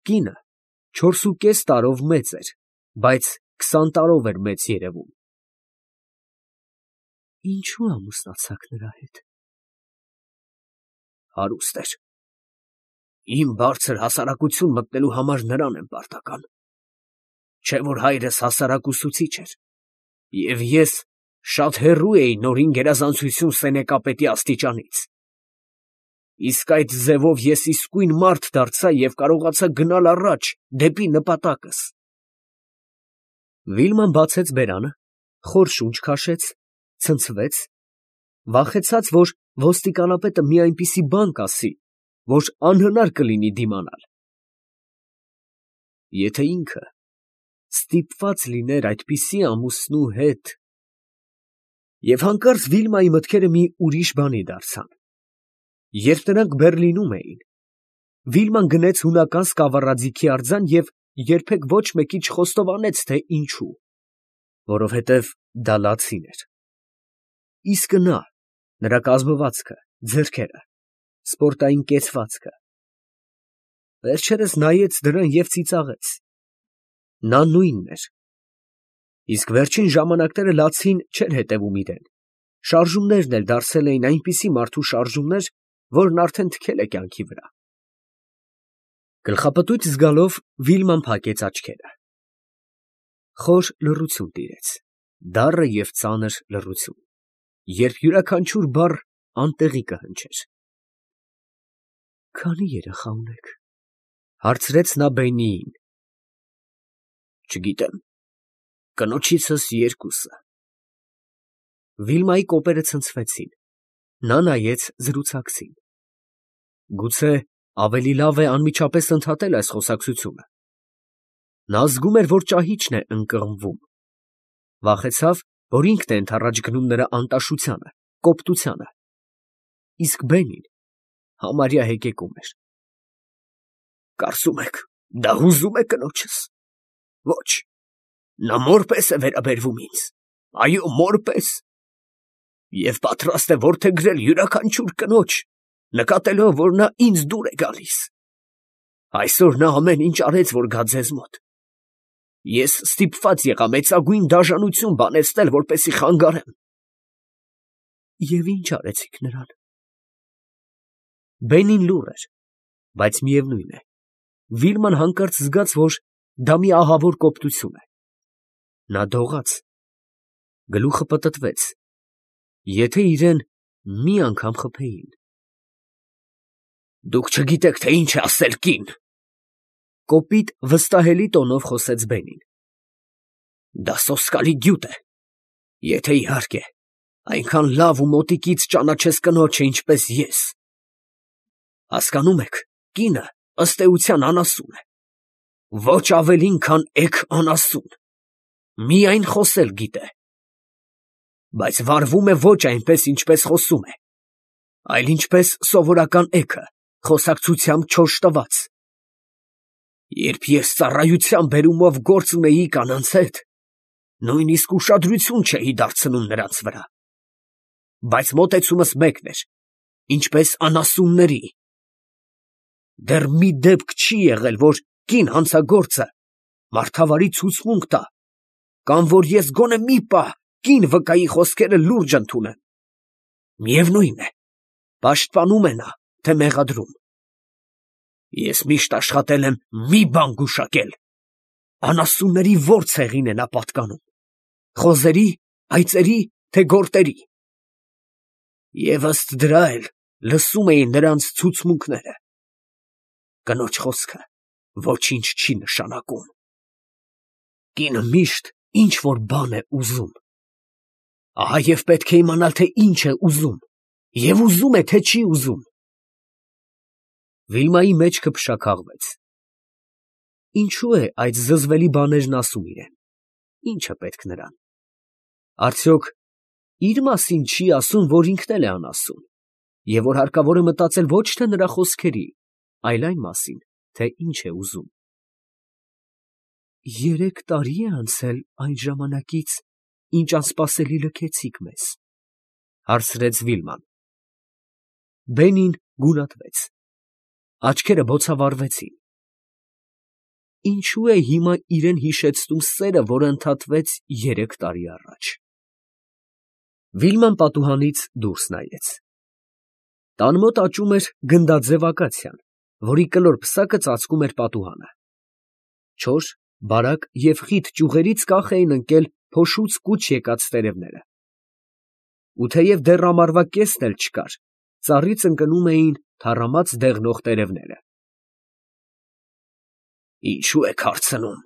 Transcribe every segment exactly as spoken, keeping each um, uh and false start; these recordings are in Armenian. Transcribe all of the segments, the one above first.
Կինը չորսուկես տարով մեծ էր, բայց քսան տարով էր մեծ երևում։ Ինչո՞ւ ամուսնացաք նրա հետ։ Հարուստ էր։ Իմ բարձր հասարակություն մտնելու համար նրան եմ պարտական, չէ՞ որ հայրս հասարակ ուսուցիչ էր, և ես շատ հեռու էի նորին գերազանցություն սենեկապետի աստիճանից։ Իսկ այդ ձևով ես իսկույն մարդ դարձա և կարողացա գնալ առաջ դեպի նպատակս։ Վիլման բացեց բերանը, խոր շունչ քաշեց, ցնցվեց, վախեցած, որ ոստիկանապետը մի այնպիսի բան կասի, որ անհնար կլինի դիմանալ։ Եթե ինքը ստիպված լիներ այդպիսի ամուսնու հետ… Եվ հանկարծ Վիլմայի մտքերը մի ուրիշ բանի դարձան։ Երբ նրանք Բեռլինում էին, Վիլման գնեց հունական սկավառաձիգի արձան և երբեք ոչ մեկի չխոստովանեց, թե ինչու, որովհետև դա լացին էր։ Իսկ նա, նրա կազմվածքը, ձեռքերը, սպորտային կեցվածքը… վերջերս նայեց դրան և ծիծաղեց։ Նա նույնն էր։ Իսկ վերջին ժամանակները լացին չէր հետևում իրան, շարժումներն էլ դարձել էին այնպիսի մարդու շարժումներ, որն արդեն թքել է կյանքի վրա։ Գլխապտույտ զգալով Վիլման փակեց աչքերը։ Խոր լռություն տիրեց, դառը և ծանր լռություն, երբ յուրաքանչյուր բառ անտեղի կհնչեր։ Քանի՞ երեխա ունեք, ֊ հարցրեց նա Բենիին։ Չգիտեմ, կնոջիցս երկուսը։ Վիլմայի կոպերը ցնցվեցին, նա նայեց զրուցակցին։ Գուցե ավելի լավ է անմիջապես ընդհատել այս խոսակցությունը։ Նա զգում էր, որ ճահիճն է ընկղմվում, վախեցավ, որ ինքն է ընդառաջ գնում նրա անտաշությանը, կոպտությանը, իսկ Բենին համարյա հեկեկում էր։ Կարծում եք, դա հուզում է կնոջս։ Ոչ, նա մոր պես է վերաբերվում ինձ, այո, մոր պես, և պատրաստ է որդեգրել յուրաքանչյուր կնոջ, նկատելով, որ նա ինձ դուր է գալիս։ Այսօր նա ամեն ինչ արեց, որ գա ձեզ մոտ։ Ես ստիպված եղա մեծագույն դաժանություն բանեցնել, որպեսզի խանգարեմ։ Եվ ի՞նչ արեցիք նրան։ Բենին լուռ էր, բայց միևնույն է, Վիլման հանկարծ զգաց, որ դա մի ահավոր կոպտություն է։ Նա դողաց, գլուխը պտտվեց, եթե իրան մի անգամ խփեին։ Դուք չգիտեք, թե ինչ է ասել կին, ֊ կոպիտ վստահելի տոնով խոսեց Բենին։ Դա սոսկալի գյուտ է, եթե, իհարկե, այնքան լավ ու մոտիկից ճանաչես կնոջը, ինչպես ես։ Հասկանում եք, կինը, ըստ էության, անասուն է, ոչ ավելին, քան էգ անասուն, միայն խոսել գիտե, բայց վարվում է ոչ այնպես, ինչպես խոսում է, այլ ինչպես սովորական էգը, խոսակցությամբ չորս տված։ Երբ ես ծառայության բերումով գործ ունեի կանանց հետ, նույնիսկ ուշադրություն չէի դարձնում նրանց վրա, բայց մոտեցումս մեկն էր, ինչպես անասունների։ Դեռ մի դեպք չի եղել, որ կին հանցագործը մարդավարի ցուցմունք տա, կամ որ ես գոնե մի պահ կին վկայի խոսքերը լուրջ ընդունեմ։ Միևնույն է, պաշտպանում է նա, թե մեղադրում։ Ես միշտ աշխատել եմ մի բան գուշակել. անասունների ո՞ր ցեղին է նա պատկանում, խոզերի, այծերի, թե գորտերի։ Եվ ըստ դրա էլ լսում էի նրանց ցուցմունքները։ Կնոջ խոսքը ոչինչ չի նշանակում։ Կինը միշտ ինչ֊որ բան է ուզում։ Ահա և պետք է իմանալ, թե ինչ է ուզում, և ուզում է, թե չի ուզում։ Վիլմայի մեջքը փշաքաղվեց։ Ինչո՞ւ է այդ զզվելի բաներն ասում իրան, ի՞նչը պետք նրան։ Արդյոք իր մասին չի ասում, որ ինքն էլ է անասուն, և որ հարկավոր է մտածել ոչ թե նրա խոսքերի, այլ այն մասին, թե ինչ է ուզում։ Երեք տարի է անցել այն ժամանակից, ինչ անսպասելի լքեցիք մեզ, ֊ հարցրեց Վիլման։ Բենին գունատվեց, աչքերը բոցավառվեցին։ ինչու է հիմա իրեն հիշեցնում սերը, որը ընդհատվեց երեք տարի առաջ։ Վիլման պատուհանից դուրս նայեց։ Տան մոտ աճում էր գնդաձև ակացիան, որի կլոր պսակը ծածկում էր պատուհանը։ Չոր, բարակ և խիտ ճյուղերից կախ էին ընկել փոշուց կուչ եկած տերևները։ Ու թեև դեռ ամառվա կեսն էլ չկար, ծառից ընկնում էին թառամած դեղնող տերևները։ Ինչո՞ւ եք հարցնում,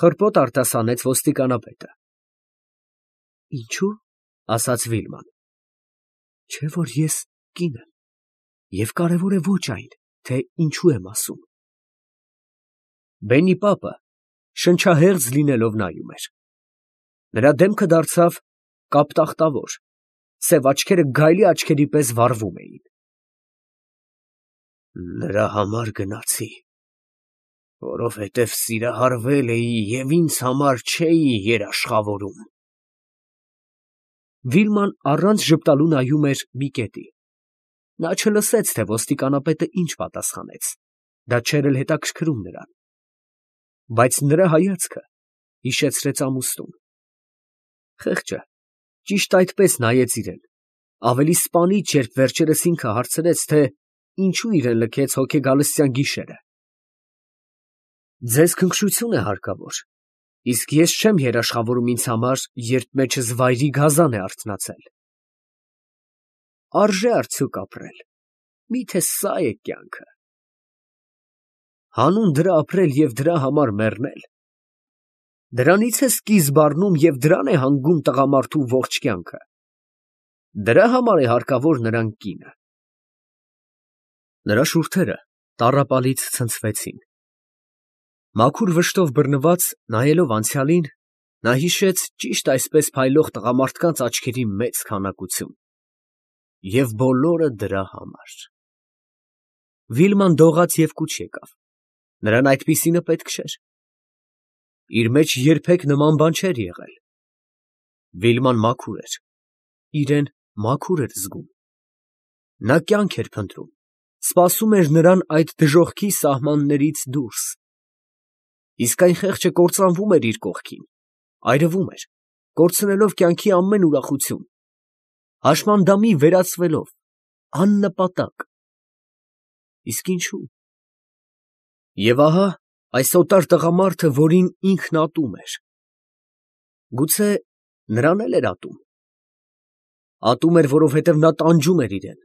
խռպոտ արտասանեց ոստիկանապետը։ Ինչո՞ւ, ասաց Վիլման, չէ՞ որ ես կին եմ, և կարևոր է ոչ այն, թե ինչու եմ ասում։ Բենի պապը շնչահեղձ լինելով նայում էր։ Նրա դեմքը դարձավ կապտախտավոր, սև աչքերը գայլի աչքերի պես վառվում էին։ Նրա համար գնացի, որովհետև սիրահարվել էի և ինձ համար չէի երաշխավորում։ Վիլման առանց ժպտալու նայում էր մի կետի։ Նա չլսեց, թե ոստիկանապետը ինչ պատասխանեց, դա չէր էլ հետաքրքրում նրան։ Բայց նրա հայացքը հիշեցրեց ամուսնուն։ Խեղճը ճիշտ այդպես նայեց իրեն, ավելի սպանիչ, երբ վերջերս ինքը հարցրեց, թե ինչու իրեն լքեց հոգեգալստյան գիշերը։ Ձեզ քնքշություն է հարկավոր, իսկ ես չեմ երաշխավորում ինձ համար, երբ մեջս վայրի գազան է արթնացել։ Արժե՞ արդյոք ապրել, միթե սա՞ է կյանքը։ Հանուն դրա ապրել և դրա համար մեռնել։ Դրանից է սկիզբ առնում և դրան է հանգում տղամարդու ողջ կյանքը։ Դրա համար է հարկավոր նրան կինը։ Նրա շուրթերը տառապալից ցնցվեցին։ Մաքուր վշտով բռնված, նայելով անցյալին, նա հիշեց ճիշտ այսպես փայլող տղամարդկանց աչքերի մեծ քանակություն։ Եվ բոլորը դրա համար։ Վիլման դողաց և կուչ եկավ։ Նրան այդպիսինը պետք չէր։ Իր մեջ երբեք նման բան չէր եղել։ Վիլման մաքուր էր, իրեն մաքուր էր զգում։ Նա կյանք էր փնտրում, սպասում էր նրան այդ դժոխքի սահմաններից դուրս։ Իսկ այն խեղճը կործանվում էր իր կողքին, այրվում էր, կորցնելով կյանքի ամեն ուրախություն, հաշմանդամի վերածվելով, աննպատակ։ Իսկ ինչու՞։ Եվ ահա այս օտար տղամարդը, որին ինքն ատում էր։ Գուցե նրան էլ էր ատում։ Ատում էր, որովհետև նա տանջում էր իրեն։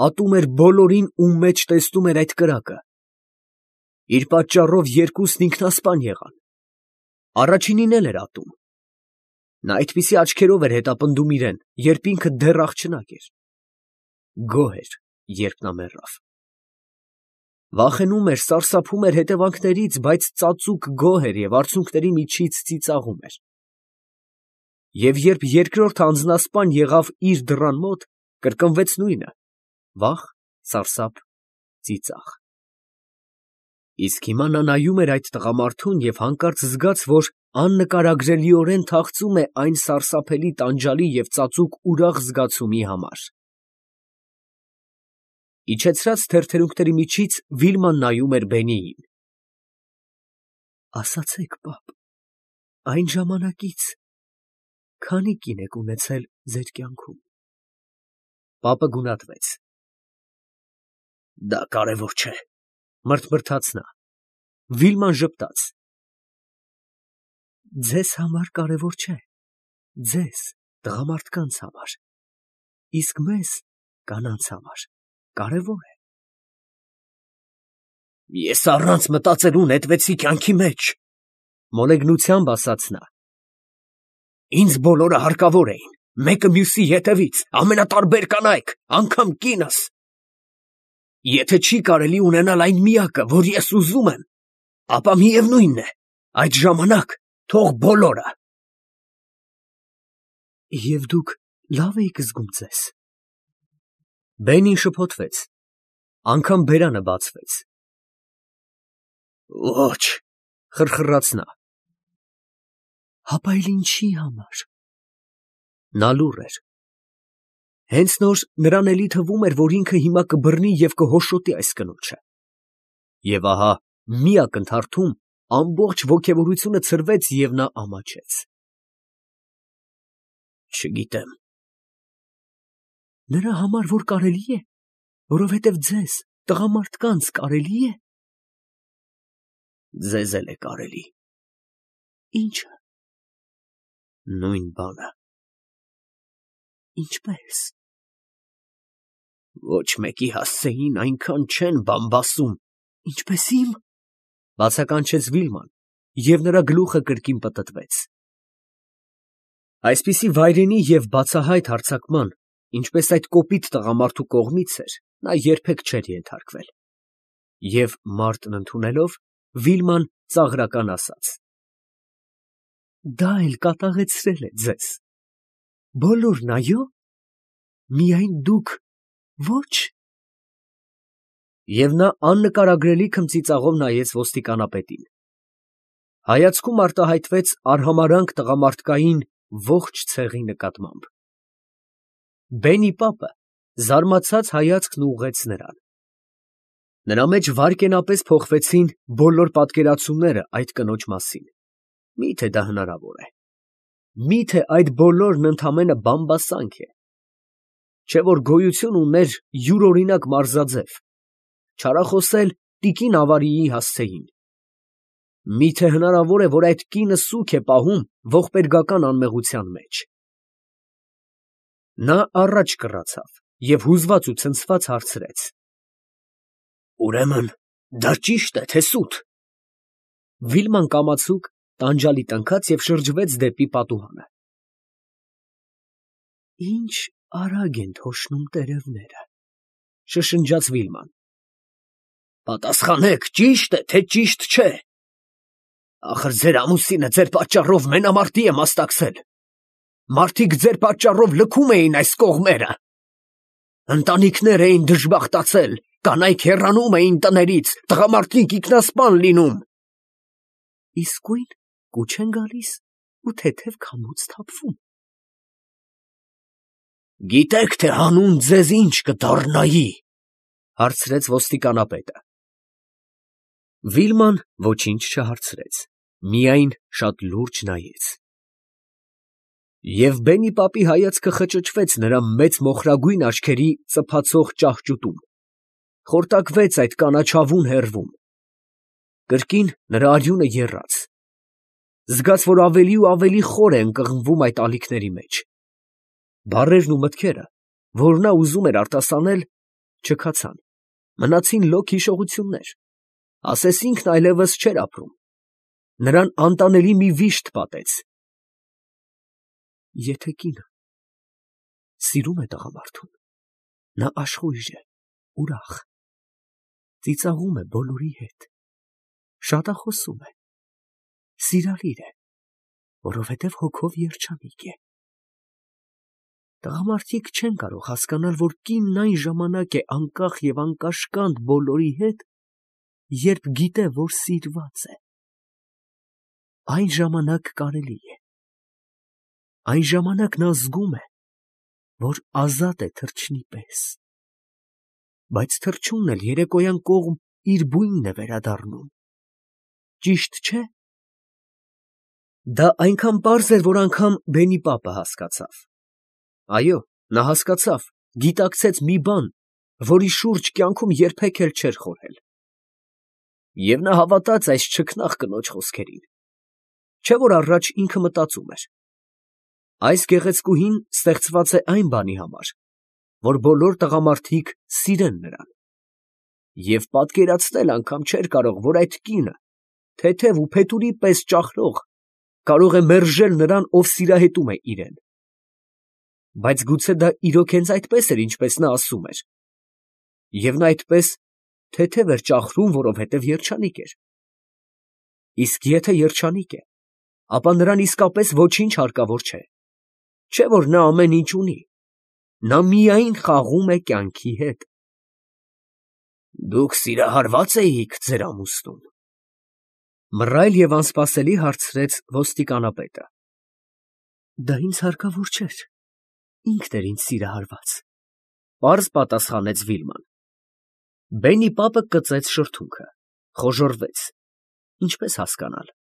Ատում էր բոլորին, ում մեջ տեսնում էր այդ կրակը։ Իր պատճառով երկուսն ինքնասպան եղան։ Առաջինին էլ էր ատում։ Նա այդպիսի աչքերով էր հետապնդում իրեն, երբ ինքը դեռ աղջնակ էր։ Գոհ էր, երբ նա մեռավ։ Վախենում էր, սարսափում էր հետևանքներից, բայց ծածուկ գոհ էր և արցունքների միջից ծիծաղում էր։ Եվ երբ երկրորդ անձնասպան եղավ իր դռան մոտ, կրկնվեց նույնը՝ վախ, սարսափ, ծիծաղ։ Իսկ հիմա նա նայում էր այդ տղամարդուն և հանկարծ զգաց, որ աննկարագրելիորեն թախծում է այն սարսափելի տանջալի և ծածուկ ուրախ զգացումի համար։ Իջեցրած թեթերունքների միջից Վիլման նայում էր Բենիին։ Ասացեք, պապ, այն ժամանակից քանի՞ կին եք ունեցել ձեր կյանքում։ Պապը գունատվեց։ Դա կարևոր չէ, մրթմրթաց նա։ Վիլման ժպտաց։ Ձեզ համար կարևոր չէ, ձեզ, տղամարդկանց համար, իսկ մեզ, կանանց համար, կարևոր է։ Ես առանց մտածելու նետվեցի կյանքի մեջ, մոլեգնությամբ ասաց նա։ Ինձ բոլորը հարկավոր էին, մեկը մյուսի ետևից, ամենատարբեր կանայք, անգամ կինս։ Եթե չի կարելի ունենալ այն միակը, որ ես ուզում եմ, ապա միևնույն է, այդ ժամանակ թող բոլորը։ Եվ դուք լավ էիք զգում ձեզ։ Բենին շփոթվեց, անգամ բերանը բացվեց։ Ոչ, խրխռաց նա։ Հապա էլ ինչի համար։ Նա լուռ էր։ Հենց նոր նրան էլի թվում էր, որ ինքը հիմա կբռնի և կհոշոտի այս կնոջը։ Եվ ահա մի ակնթարթում ամբողջ ոգևորությունը ցրվեց և նա ամաչեց։ Չգիտեմ։ Նրա համար որ կարելի է, որովհետև ձեզ, տղամարդկանց, կարելի է։ Ձեզ էլ է կարելի։ Ի՞նչը։ Նույն բանը։ Ինչպե՞ս։ Ոչ մեկի հասցեին այնքան չեն բամբասում, ինչպես իմ, բացականչեց Վիլման, և նրա գլուխը կրկին պտտվեց։ Այսպիսի վայրենի և բացահայտ հարձակման, ինչպես այդ կոպիտ տղամարդու կողմից էր, նա երբեք չէր ենթարկվել։ Եվ մարտն ընդունելով, Վիլման ծաղրական ասաց. Դա էլ կատաղեցրել է ձեզ։ Բոլորն, այո՞։ Միայն դուք ոչ։ Եվ նա աննկարագրելի քմծիծաղով նայեց ոստիկանապետին։ Հայացքում արտահայտվեց արհամարհանք տղամարդկային ողջ ցեղի նկատմամբ։ Բենի պապը զարմացած հայացքն ուղղեց նրան։ Նրա մեջ վայրկենապես փոխվեցին բոլոր պատկերացումները այդ կնոջ մասին։ Մի՞թե դա հնարավոր է։ Մի՞թե այդ բոլորն ընդամենը բամբասանք է։ Չէ՞ որ գոյություն ուներ յուրօրինակ մարզաձև, չարախոսել տիկին ավարիի հասցեին։ Մի՞թե հնարավոր է, որ այդ կինը սուգ է պահում ողբերգական անմեղության մեջ։ Նա առաջ կռացավ և հուզված ու ցնցված հարցրեց. Ուրեմն դա ճի՞շտ է, թե սուտ։ Վիլման կամացուկ, տանջալի տնքաց և շրջվեց դեպի պատուհանը։ Ինչ արագ են թոշնում տերևները, շշնջաց Վիլման։ Պատասխանեք, ճի՞շտ է, թե ճիշտ չէ։ Ախր ձեր ամուսինը ձեր պատճառով մենամարտի է մասնակցել։ Մարդիկ ձեր պատճառով լքում էին այս կողմերը։ Ընտանիքներ էին դժբախտացել, կանայք հեռանում էին տներից, տղամարդիկ ինքնասպան լինում։ Իսկույն կուչ են գալիս ու թեթև քամուց թափվում։ Գիտեք, թե հանուն ձեզ ինչ կդառնայի, հարցրեց ոստիկանապետը։ Վիլման ոչինչ չհարցրեց, միայն շատ լուրջ նայեց։ Եվ Բենի պապի հայացքը խճճվեց նրա մեծ մոխրագույն աչքերի ծփացող ճահճուտում, խորտակվեց այդ կանաչավուն հեռվում։ Կրկին նրա արյունը եռաց։ Զգաց, որ ավելի ու ավելի խոր է ընկղմվում այդ ալիքների մեջ։ Բառերն ու մտքերը, որ նա ուզում էր արտասանել, չքացան, մնացին լոկ հիշողություններ, ասես ինքն այլևս չէր ապրում։ Նրան անտանելի մի վիշտ պատեց։ Եթե կինը սիրում է տղամարդուն, նա աշխույժ է, ուրախ, ծիծաղում է բոլորի հետ, շատախոսում է, սիրալիր է, որովհետև հոգով երջանիկ է։ Տղամարդիկ չեն կարող հասկանալ, որ կինն այն ժամանակ է անկախ և անկաշկանդ բոլորի հետ, երբ գիտե, որ սիրված է։ Այն ժամանակ կարելի է։ Այն ժամանակ նա զգում է, որ ազատ է թռչնի պես։ Բայց թռչունն էլ երեկոյան կողմ իր բույնն է վերադառնում։ Ճիշտ չէ՞։ Դա այնքան պարզ էր, որ անգամ Բենի պապը հասկացավ։ Այո, նա հասկացավ, գիտակցեց մի բան, որի շուրջ կյանքում երբեք էլ չէր խորհել։ Եվ նա հավատաց այս չքնաղ կնոջ խոսքերին։ Չէ՞ որ առաջ ինքը մտածում էր. այս գեղեցկուհին ստեղծված է այն բանի համար, որ բոլոր տղամարդիկ սիրեն նրան։ Եվ պատկերացնել անգամ չէր կարող, որ այդ կինը, թեթև ու փետուրի պես ճախլող, կարող է մերժել նրան, ով սիրահետում է իրեն։ Բայց գուցե դա իրոք հենց այդպես էր, ինչպես նա ասում էր։ Եվ նա այդպես թեթև էր ճախլում, որովհետև երջանիկ էր։ Իսկ եթե երջանիկ է, ապա նրան իսկապես ոչինչ հարկավոր չէ։ Չէ՞ որ նա ամեն ինչ ունի, նա միայն խաղում է կյանքի հետ։ Դուք սիրահարվա՞ծ էիք ձեր ամուսնուն, մռայլ և անսպասելի հարցրեց ոստիկանապետը։ Դա ինձ հարկավոր չէր, ինքն էր ինձ սիրահարված, պարզ պատասխանեց Վիլման։ Բենի պապը կծեց շրթունքը, Խոժոռվեց, ինչպե՞ս հասկանալ։